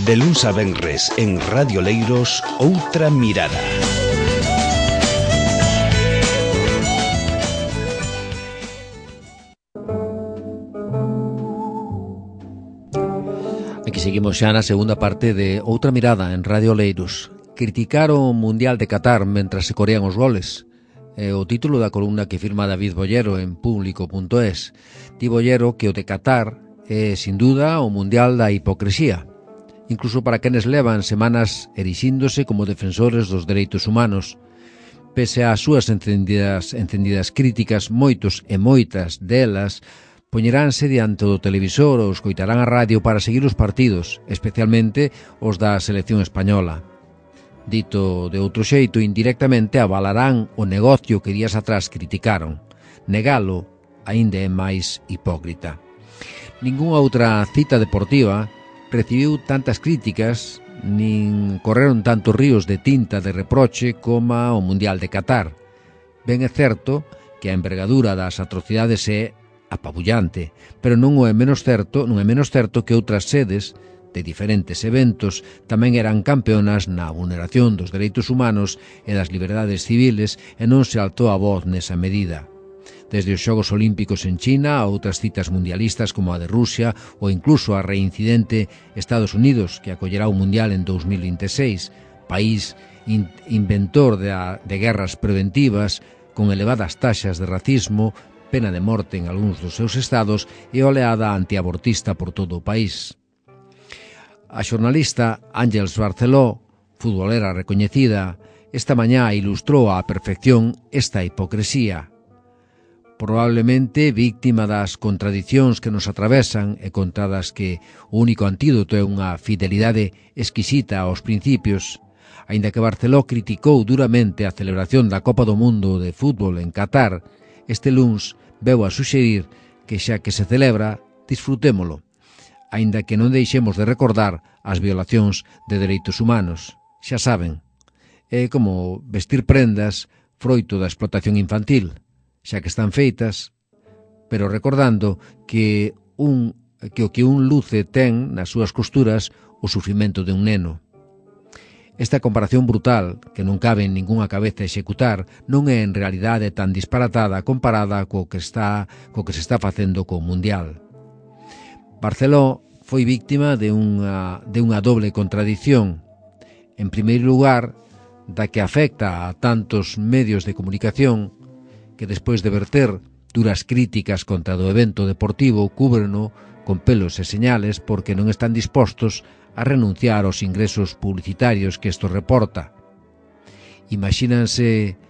De luns a venres en Radio Leiros, Outra Mirada. Aquí seguimos xa na segunda parte de Outra Mirada en Radio Leiros. Criticar o Mundial de Qatar mentras se corean os goles. É o título da columna que firma David Bollero en público.es. Di Bollero que o de Qatar é, sin duda, o Mundial da hipocresía. Incluso para quenes levan semanas erixíndose como defensores dos dereitos humanos. Pese ás súas encendidas críticas, moitos e moitas delas poñeránse diante do televisor ou escoitarán a radio para seguir os partidos, especialmente os da selección española. Dito de outro xeito, indirectamente avalarán o negocio que días atrás criticaron. Negalo aínda é máis hipócrita. Ningunha outra cita deportiva recibiu tantas críticas, nin correron tantos ríos de tinta de reproche como o Mundial de Qatar. Ben é certo que a envergadura das atrocidades é apabullante, pero non é menos certo que outras sedes de diferentes eventos tamén eran campeonas na vulneración dos dereitos humanos e das liberdades civiles e non se altou a voz nesa medida. Desde os Xogos Olímpicos en China a outras citas mundialistas como a de Rusia ou incluso a reincidente Estados Unidos, que acollerá o Mundial en 2026, país inventor de guerras preventivas con elevadas taxas de racismo, pena de morte en algúns dos seus estados e oleada antiabortista por todo o país. A xornalista Ángels Barceló, futbolera recoñecida, esta mañá ilustrou á perfección esta hipocresía. Probablemente víctima das contradicións que nos atravesan e contra das que o único antídoto é unha fidelidade exquisita aos principios, aínda que Barceló criticou duramente a celebración da Copa do Mundo de fútbol en Qatar, este luns veu a suxerir que xa que se celebra, disfrutémolo, aínda que non deixemos de recordar as violacións de dereitos humanos. Xa saben, é como vestir prendas froito da explotación infantil, xa que están feitas, pero recordando que o que un luce ten nas súas costuras o sufrimento de un neno. Esta comparación brutal, que non cabe en ningunha cabeza executar, non é en realidade tan disparatada comparada co que se está facendo co Mundial. Barceló foi víctima de unha doble contradición. En primeiro lugar, da que afecta a tantos medios de comunicación que despois de verter duras críticas contra do evento deportivo cúbreno con pelos e señales porque non están dispostos a renunciar aos ingresos publicitarios que isto reporta. Imagínanse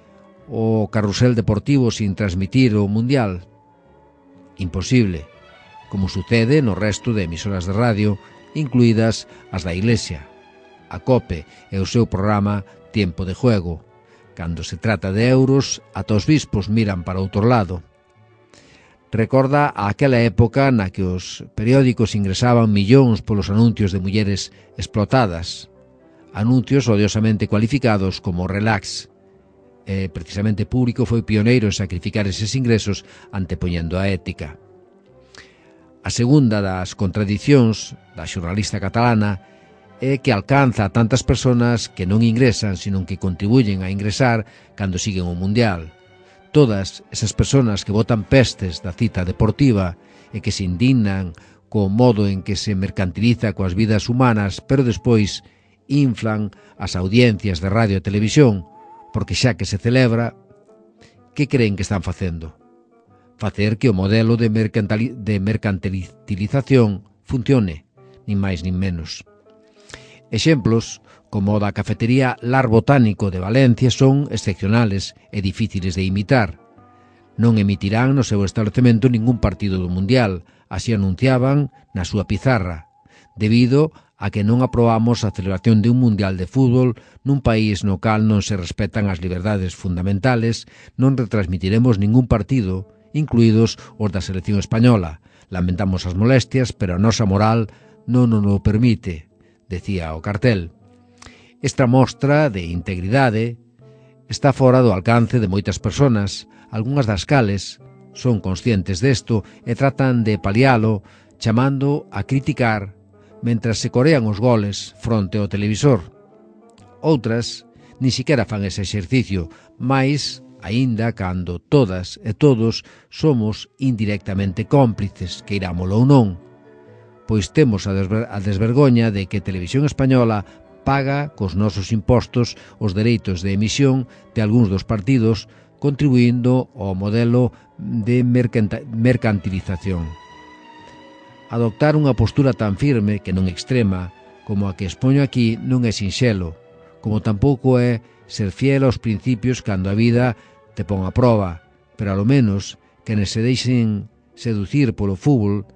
o carrusel deportivo sin transmitir o Mundial? Imposible, como sucede no resto de emisoras de radio, incluídas as da Iglesia, a COPE e o seu programa Tiempo de Juego. Cando se trata de euros, ata os bispos miran para outro lado. Recorda aquela época na que os periódicos ingresaban millóns polos anuncios de mulleres explotadas, anuncios odiosamente cualificados como relax. Precisamente Público foi pioneiro en sacrificar eses ingresos antepoñendo a ética. A segunda das contradicións da xornalista catalana é que alcanza a tantas persoas que non ingresan, sino que contribuyen a ingresar cando siguen o Mundial. Todas esas persoas que botan pestes da cita deportiva e que se indignan co modo en que se mercantiliza coas vidas humanas, pero despois inflan as audiencias de radio e televisión, porque xa que se celebra, que creen que están facendo? Facer que o modelo de mercantilización funcione, nin máis nin menos. Exemplos como o da cafetería Lar Botánico de Valencia son excepcionales e difíciles de imitar. Non emitirán no seu establecemento ningún partido do Mundial, así anunciaban na súa pizarra, debido a que non aprobamos a celebración de un Mundial de fútbol nun país no cal non se respetan as liberdades fundamentales, non retransmitiremos ningún partido, incluídos os da selección española. Lamentamos as molestias, pero a nosa moral non nos o permite, decía o cartel. Esta mostra de integridade está fora do alcance de moitas persoas, algunhas das cales son conscientes desto e tratan de palialo chamando a criticar mentras se corean os goles fronte ao televisor. Outras ni siquiera fan ese exercicio, mais aínda cando todas e todos somos indirectamente cómplices, queirámolo ou non, pois temos a desvergoña de que Televisión Española paga cos nosos impostos os dereitos de emisión de algúns dos partidos, contribuindo ao modelo de mercantilización. Adoptar unha postura tan firme que non extrema como a que expoño aquí non é sinxelo, como tampouco é ser fiel aos principios cando a vida te pon a proba, pero alo menos que se deixen seducir polo fútbol,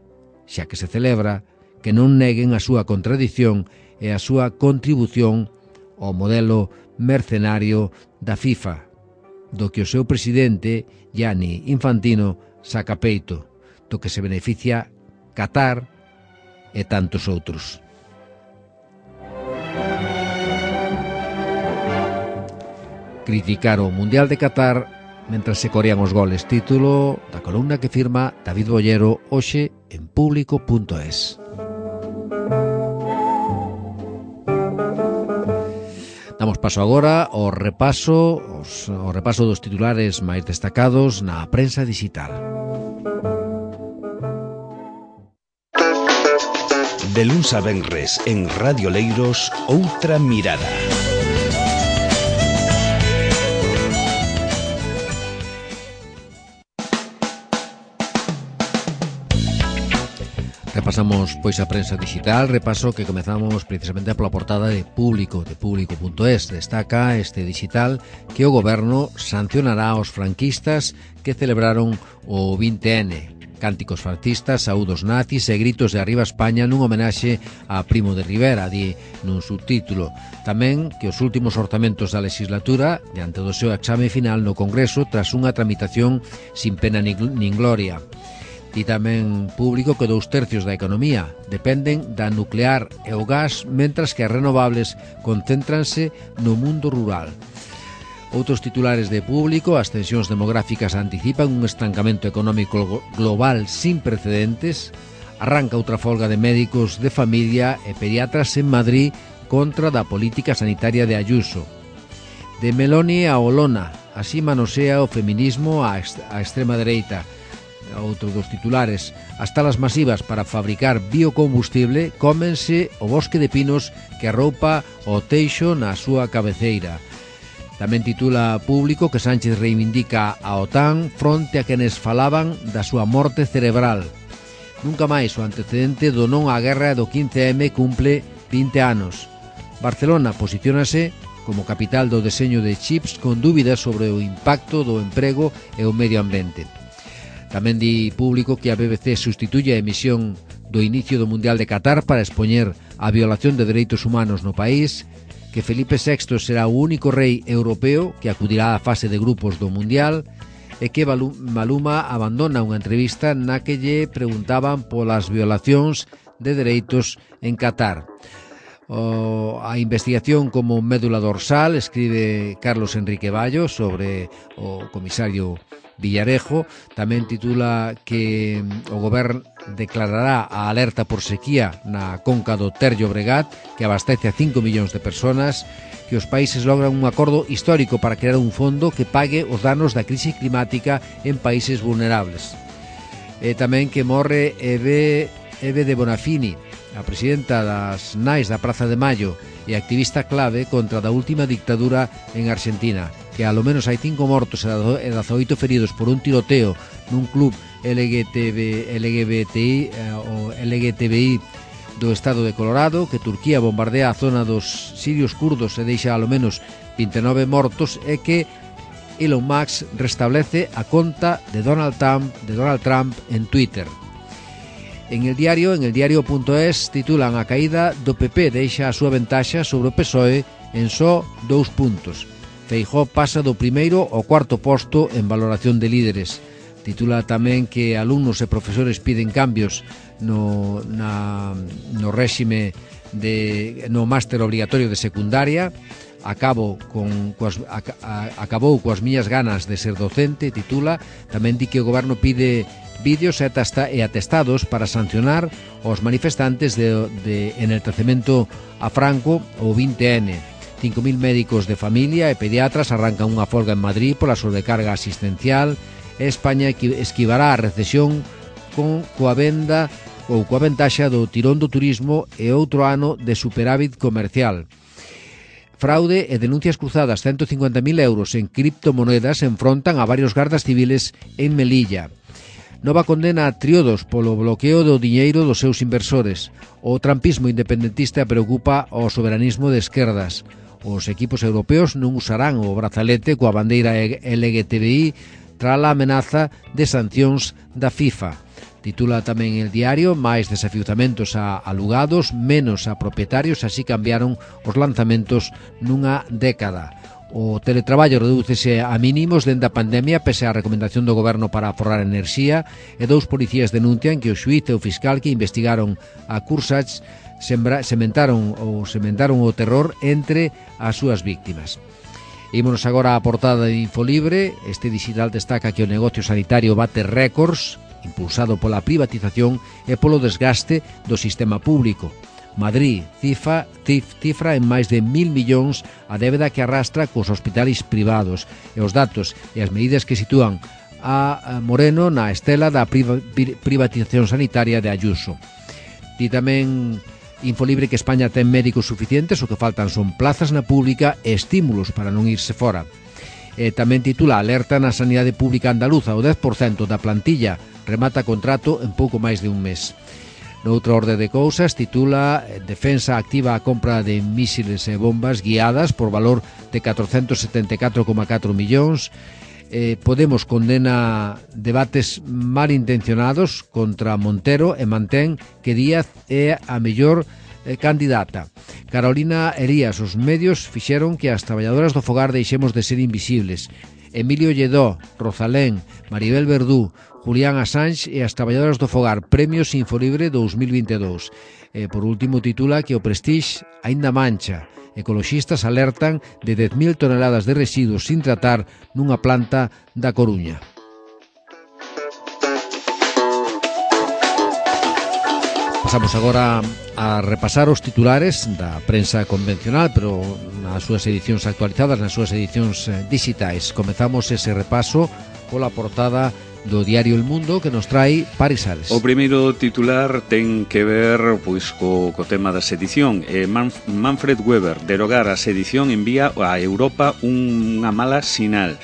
xa que se celebra, que non neguen a súa contradición e a súa contribución ao modelo mercenario da FIFA, do que o seu presidente, Gianni Infantino, saca peito, do que se beneficia Qatar e tantos outros. Criticar o Mundial de Qatar mentras se corean os goles. Título da columna que firma David Bollero hoxe en Público.es. Damos paso agora ao repaso dos titulares máis destacados na prensa digital. De luns a venres en Radio Leiros, Outra Mirada. Repasamos pois a prensa digital, repaso que comezamos precisamente pola portada de Público.es. Destaca este digital que o goberno sancionará aos franquistas que celebraron o 20N. Cánticos fascistas, saúdos nazis e gritos de arriba España nun homenaxe a Primo de Rivera, di nun subtítulo. Tamén que os últimos orzamentos da legislatura, diante do seu exame final no Congreso, tras unha tramitación sin pena nin gloria. E tamén Público que 2/3 da economía dependen da nuclear e o gas, mentras que as renovables concéntranse no mundo rural. Outros titulares de Público: as tensións demográficas anticipan un estancamento económico global sin precedentes, arranca outra folga de médicos de familia e pediatras en Madrid contra da política sanitaria de Ayuso. De Meloni a Olona, así manosea o feminismo a extrema dereita. Outro dos titulares: as talas masivas para fabricar biocombustible cómense o bosque de pinos que arroupa o Teixo na súa cabeceira. Tamén titula Público que Sánchez reivindica a OTAN fronte a quenes falaban da súa morte cerebral. Nunca máis o antecedente do non á guerra do 15M cumple 20 anos. Barcelona posiciónase como capital do deseño de chips con dúbidas sobre o impacto do emprego e o medio ambiente. Tamén di Público que a BBC sustituye a emisión do inicio do Mundial de Qatar para expoñer a violación de dereitos humanos no país, que Felipe VI será o único rei europeo que acudirá á fase de grupos do Mundial e que Maluma abandona unha entrevista na que lle preguntaban polas violacións de dereitos en Qatar. A investigación como médula dorsal, escribe Carlos Enrique Ballo sobre o comisario Villarejo. Tamén titula que o goberno declarará a alerta por sequía na conca do Ter Llobregat, que abastece a 5 millóns de persoas, que os países logran un acordo histórico para crear un fondo que pague os danos da crise climática en países vulnerables. E tamén que morre Eve de Bonafini, a presidenta das Nais da Praza de Mayo e activista clave contra da última dictadura en Argentina, que alo menos hai 5 mortos e 18 feridos por un tiroteo nun club LGBTI do estado de Colorado, que Turquía bombardea a zona dos sirios kurdos e deixa alo menos 29 mortos, e que Elon Musk restablece a conta de Donald Trump en Twitter. En el diario.es titulan a caída do PP deixa a súa ventaxa sobre o PSOE en só 2 puntos. Feijóo pasa do primeiro ao cuarto posto en valoración de líderes. Titula tamén que alumnos e profesores piden cambios no réxime no máster obrigatorio de secundaria. Acabou coas miñas ganas de ser docente, titula. Tamén di que o goberno pide vídeos e atestados para sancionar os manifestantes de enaltecemento a Franco o 20N. 5.000 médicos de familia e pediatras arrancan unha folga en Madrid pola sobrecarga asistencial. España esquivará a recesión coa ventaxa do tirón do turismo e outro ano de superávit comercial. Fraude e denuncias cruzadas, 150.000 euros en criptomonedas enfrontan a varios gardas civiles en Melilla. Nova condena a Triodos polo bloqueo do diñeiro dos seus inversores. O trampismo independentista preocupa ao soberanismo de esquerdas. Os equipos europeos non usarán o brazalete coa bandeira LGTBI tras a amenaza de sancións da FIFA. Titula tamén el diario: máis desafiuzamentos a alugados, menos a propietarios, así cambiaron os lanzamentos nunha década. O teletraballo redúcese a mínimos dende a pandemia pese á recomendación do goberno para aforrar enerxía, e 2 policías denuncian que o xuíz e o fiscal que investigaron a Cursach sementaron o terror entre as súas víctimas. Ímonos agora á portada de Infolibre. Este digital destaca que o negocio sanitario bate récords, impulsado pola privatización e polo desgaste do sistema público. Madrid cifra en máis de 1.000 millóns a débeda que arrastra cos hospitais privados, e os datos e as medidas que sitúan a Moreno na estela da privatización sanitaria de Ayuso. Di tamén Infolibre que España ten médicos suficientes, o que faltan son plazas na pública e estímulos para non irse fora. Tamén titula: alerta na sanidade pública andaluza, o 10% da plantilla remata contrato en pouco máis de un mes. Noutra orde de cousas, titula: Defensa activa a compra de mísiles e bombas guiadas por valor de 474,4 millóns. Podemos condena debates malintencionados contra Montero e mantén que Díaz é a mellor candidata. Carolina Elías: os medios fixeron que as traballadoras do fogar deixemos de ser invisibles. Emilio Lledó, Rosalén, Maribel Verdú, Julián Assange e as traballadoras do fogar, Premios Infolibre 2022. Por último, titula que o Prestige aínda mancha. Ecoloxistas alertan de 10.000 toneladas de residuos sin tratar nunha planta da Coruña. Pasamos agora a repasar os titulares da prensa convencional, pero nas súas edicións actualizadas, nas súas edicións digitais. Comezamos ese repaso pola portada do diario El Mundo, que nos trae Paris Sales. O primeiro titular ten que ver co tema da sedición. Manfred Weber: derogar a sedición envía a Europa unha mala sinal.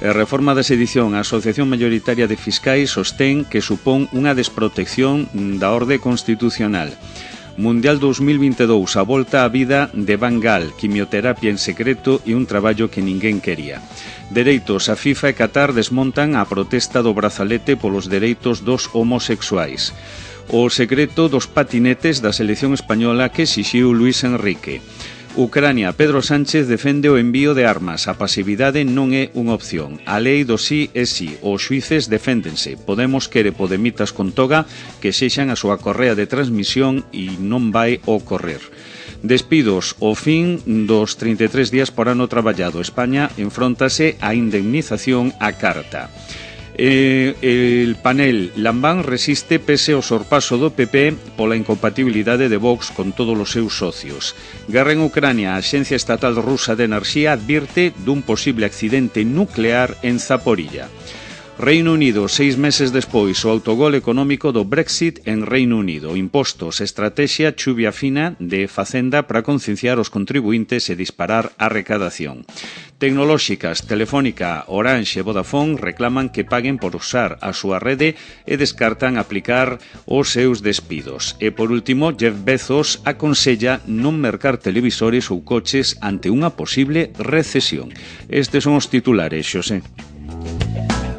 Reforma da sedición. A Asociación Maioritaria de Fiscais sostén que supón unha desprotección da orde constitucional. Mundial 2022, a volta á vida de Van Gaal, quimioterapia en secreto e un traballo que ninguén quería. Dereitos. A FIFA e Qatar desmontan a protesta do brazalete polos dereitos dos homosexuais. O secreto dos patinetes da selección española que exixiu Luis Enrique. Ucrania. Pedro Sánchez defende o envío de armas. A pasividade non é unha opción. A lei do sí é sí. Os xuíces deféndense. Podemos quere podemitas con toga que sexan a súa correa de transmisión e non vai ocorrer. Despidos. O fin dos 33 días por ano traballado. España enfróntase á indemnización á carta. El panel Lambán resiste pese ao sorpaso do PP pola incompatibilidade de Vox con todos os seus socios. Guerra en Ucrania. A Axencia Estatal Rusa de Enerxía advirte dun posible accidente nuclear en Zaporilla. Reino Unido. 6 meses despois, o autogol económico do Brexit en Reino Unido. Impostos, estrategia chuvia fina de Facenda para concienciar os contribuintes e disparar a recadación. Tecnolóxicas. Telefónica, Orange e Vodafone reclaman que paguen por usar a súa rede e descartan aplicar os seus despidos. E por último, Jeff Bezos aconsella non mercar televisores ou coches ante unha posible recesión. Estes son os titulares, Xosé.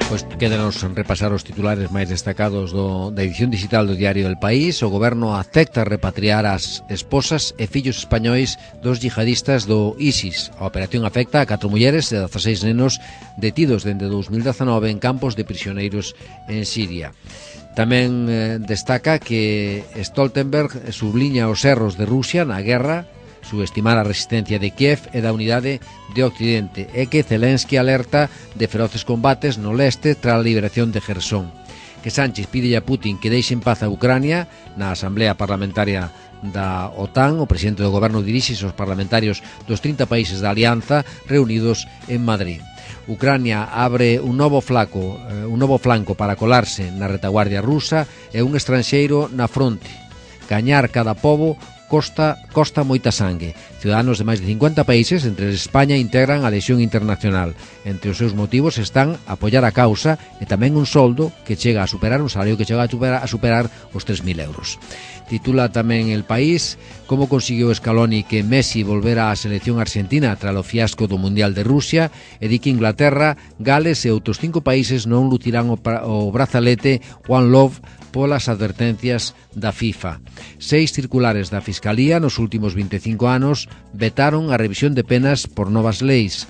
Pois quédanos repasar os titulares máis destacados da edición digital do Diario del País. O goberno acepta repatriar as esposas e fillos españois dos yihadistas do ISIS. A operación afecta a 4 mulleres e 16 nenos detidos dende 2019 en campos de prisioneiros en Siria. Tamén destaca que Stoltenberg subliña os erros de Rusia na guerra, subestimar a resistencia de Kiev e da unidade de Occidente, e que Zelensky alerta de feroces combates no leste tras a liberación de Jersón. que Sánchez pide a Putin que deixe en paz a Ucrania. Na Asamblea Parlamentaria da OTAN, o presidente do goberno dirixe aos parlamentarios dos 30 países da alianza reunidos en Madrid. Ucrania abre un novo flanco para colarse na retaguardia rusa e un estranxeiro na fronte. Gañar cada pobo costa moita sangue. Ciudadanos de máis de 50 países, entre España, integran a Lexión Internacional. Entre os seus motivos están apoiar a causa e tamén un soldo que chega a superar un salario que chega a superar os 3.000 euros. Titula tamén El País como consiguió Scaloni que Messi volvera á selección argentina tras o fiasco do Mundial de Rusia, e di que Inglaterra, Gales e outros 5 países non lucirán o brazalete One Love polas advertencias da FIFA. 6 circulares da Fiscalía nos últimos 25 anos vetaron a revisión de penas por novas leis.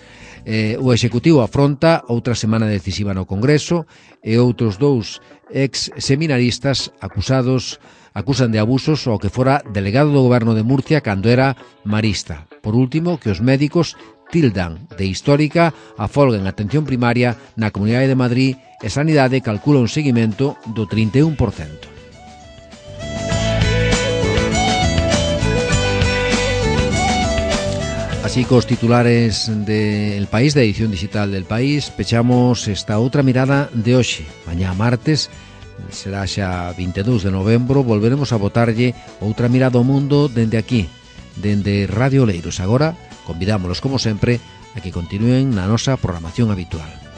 O Executivo afronta outra semana decisiva no Congreso e outros 2 ex-seminaristas acusan de abusos ao que fora delegado do goberno de Murcia cando era marista. Por último, que os médicos tildan de histórica a folga en atención primaria na Comunidade de Madrid e Sanidade calcula un seguimento do 31%. Así cos titulares del País, da edición digital del País, pechamos esta outra mirada de hoxe. Mañá martes, será xa 22 de novembro, volveremos a botarlle outra mirada ao mundo dende aquí, dende Radio Oleiros. Agora, convidámolos, como sempre, a que continúen na nosa programación habitual.